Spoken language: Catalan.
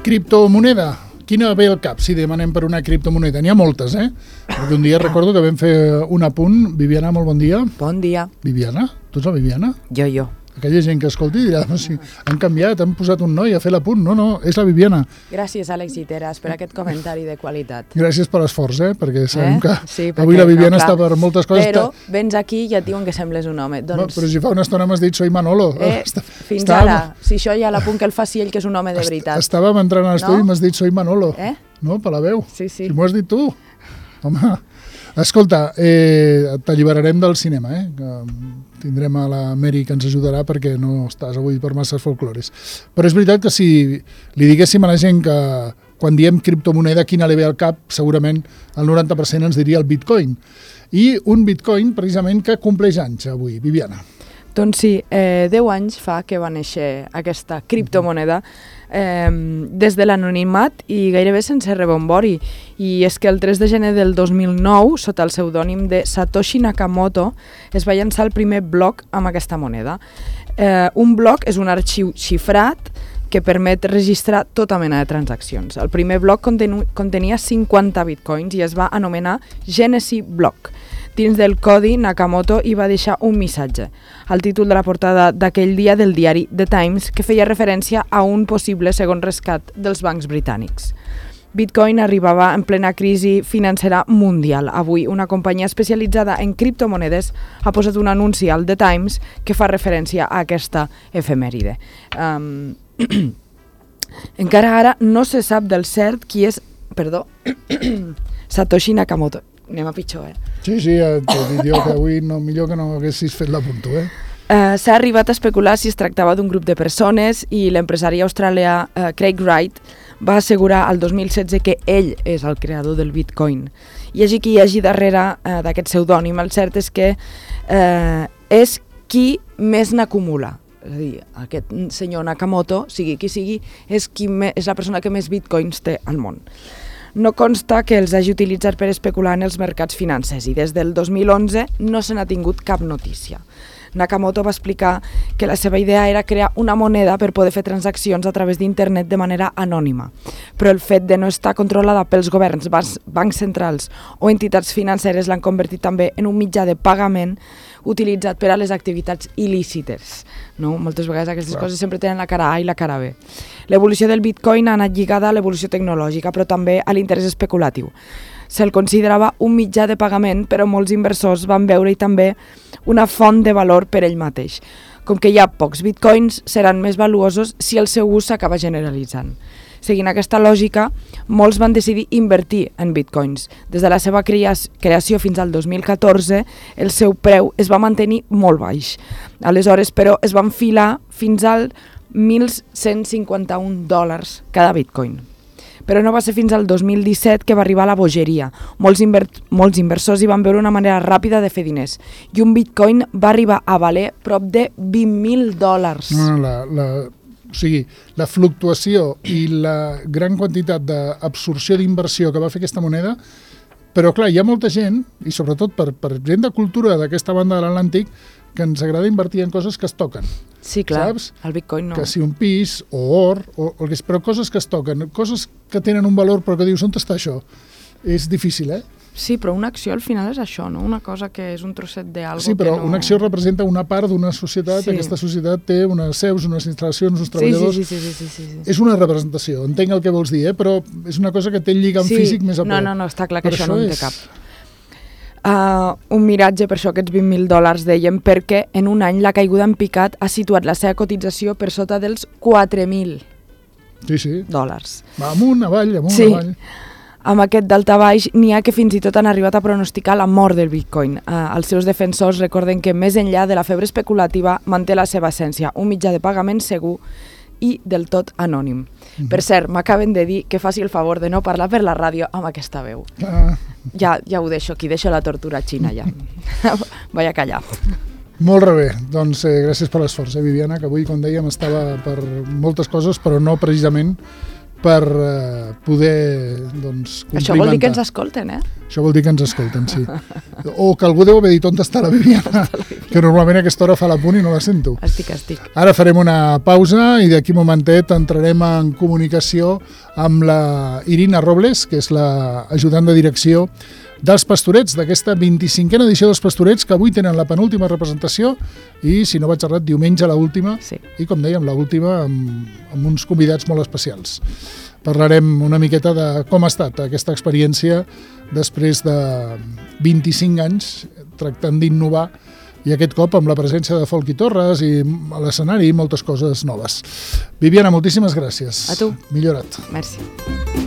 Criptomoneda. Quina ve al cap si demanem per una criptomoneda? N'hi ha moltes, Perquè un dia recordo que vam fer un apunt. Viviana, molt bon dia. Bon dia. Viviana? Tu ets la Viviana? Jo. Aquella gent que escolti dirà, no, si han canviat, han posat un noi a fer l'apunt. No, és la Viviana. Gràcies, Àlex Giteras, per aquest comentari de qualitat. Gràcies per l'esforç, perquè sabem que sí, avui la Viviana està per moltes coses. Però vens aquí i ja et diuen que sembles un home. Doncs... Però si fa una estona m'has dit soy Manolo. Fins ara, si això ja l'apunt que el faci ell, que és un home de veritat. Estàvem entrant a l'estudi i m'has dit soy Manolo. No, per la veu. Sí. Si m'ho has dit tu. Home, escolta, t'alliberarem del cinema, que tindrem a la Mary que ens ajudarà perquè no estàs avui per masses folclores. Però és veritat que si li diguéssim a la gent que quan diem criptomoneda quina li ve al cap, segurament el 90% ens diria el bitcoin. I un bitcoin precisament que compleix anys avui. Viviana. Doncs sí, 10 anys fa que va néixer aquesta criptomoneda des de l'anonimat i gairebé sense rebombori. I és que el 3 de gener del 2009, sota el pseudònim de Satoshi Nakamoto, es va llançar el primer bloc amb aquesta moneda. Un bloc és un arxiu xifrat que permet registrar tota mena de transaccions. El primer bloc contenia 50 bitcoins i es va anomenar Genesis Block. Dins del codi, Nakamoto hi va deixar un missatge, el títol de la portada d'aquell dia del diari The Times, que feia referència a un possible segon rescat dels bancs britànics. Bitcoin arribava en plena crisi financera mundial. Avui, una companyia especialitzada en criptomonedes ha posat un anunci al The Times que fa referència a aquesta efemèride. Encara ara no se sap del cert qui és... Perdó. Satoshi Nakamoto. Anem a pitjor, Sí, t'he dit jo que avui millor que no haguessis fet l'apunto, S'ha arribat a especular si es tractava d'un grup de persones i l'empresari australià Craig Wright va assegurar al 2016 que ell és el creador del Bitcoin. Hi hagi qui hi hagi darrere d'aquest pseudònim, el cert és que és qui més n'acumula. És a dir, aquest senyor Nakamoto, sigui qui sigui, és la persona que més bitcoins té al món. No consta que els hagi utilitzat per especular en els mercats financers i des del 2011 no se n'ha tingut cap notícia. Nakamoto va explicar que la seva idea era crear una moneda per poder fer transaccions a través d'internet de manera anònima, però el fet de no estar controlada pels governs, bancs centrals o entitats financeres l'han convertit també en un mitjà de pagament utilitzat per a les activitats il·lícites. No? Moltes vegades aquestes coses sempre tenen la cara A i la cara B. L'evolució del Bitcoin ha anat lligada a l'evolució tecnològica, però també a l'interès especulatiu. Se'l considerava un mitjà de pagament, però molts inversors van veure-hi també una font de valor per ell mateix. Com que hi ha pocs bitcoins, seran més valuosos si el seu ús s'acaba generalitzant. Seguint aquesta lògica, molts van decidir invertir en bitcoins. Des de la seva creació fins al 2014, el seu preu es va mantenir molt baix. Aleshores, però, es va enfilar fins al $1.151 cada bitcoin. Però no va ser fins al 2017 que va arribar la bogeria. Molts inversors hi van veure una manera ràpida de fer diners. I un bitcoin va arribar a valer prop de $20.000. O sigui, la fluctuació i la gran quantitat d'absorció d'inversió que va fer aquesta moneda, però clar, hi ha molta gent, i sobretot per gent de cultura d'aquesta banda de l'Atlàntic, que ens agrada invertir en coses que es toquen. Sí, clar, saps? El bitcoin no. Que si un pis o or, però coses que es toquen, coses que tenen un valor però que dius, on està això? És difícil, Sí, però una acció al final és això, no? Una cosa que és un trosset d'algo sí, però que no... una acció representa una part d'una societat, aquesta societat té unes seus, unes instal·lacions, uns treballadors... Sí. És una representació, entenc el que vols dir, però és una cosa que té el lligam físic més a prop. No, està clar que això no en té cap. Un miratge, per això aquests $20.000 dèiem, perquè en un any la caiguda en picat ha situat la seva cotització per sota dels $4.000. Sí. Dòlars. Va amunt, avall, avall. Amb aquest daltabaix n'hi ha que fins i tot han arribat a pronosticar la mort del Bitcoin. Els seus defensors recorden que més enllà de la febre especulativa manté la seva essència, un mitjà de pagament segur i del tot anònim. Per cert, m'acaben de dir que faci el favor de no parlar per la ràdio amb aquesta veu. Ja ho deixo aquí, deixo la tortura xina ja. Vaig a callar. Molt bé, doncs gràcies per l'esforç, Viviana, que avui, com dèiem, estava per moltes coses, però no precisament per poder complimentar. Això vol dir que ens escolten, Això vol dir que ens escolten, sí. O que algú deu haver dit on està la Viviana, que normalment a aquesta hora fa l'apunt i no la sento. Estic. Ara farem una pausa i d'aquí un momentet entrarem en comunicació amb la Irina Robles, que és l'ajudant de direcció dels Pastorets, d'aquesta 25a edició dels Pastorets, que avui tenen la penúltima representació i, si no vaig errat, diumenge l'última, sí. I com dèiem, l'última amb uns convidats molt especials. Parlarem una miqueta de com ha estat aquesta experiència després de 25 anys tractant d'innovar i aquest cop amb la presència de Folky Torres i a l'escenari i moltes coses noves. Viviana, moltíssimes gràcies. A tu. Millora't. Merci.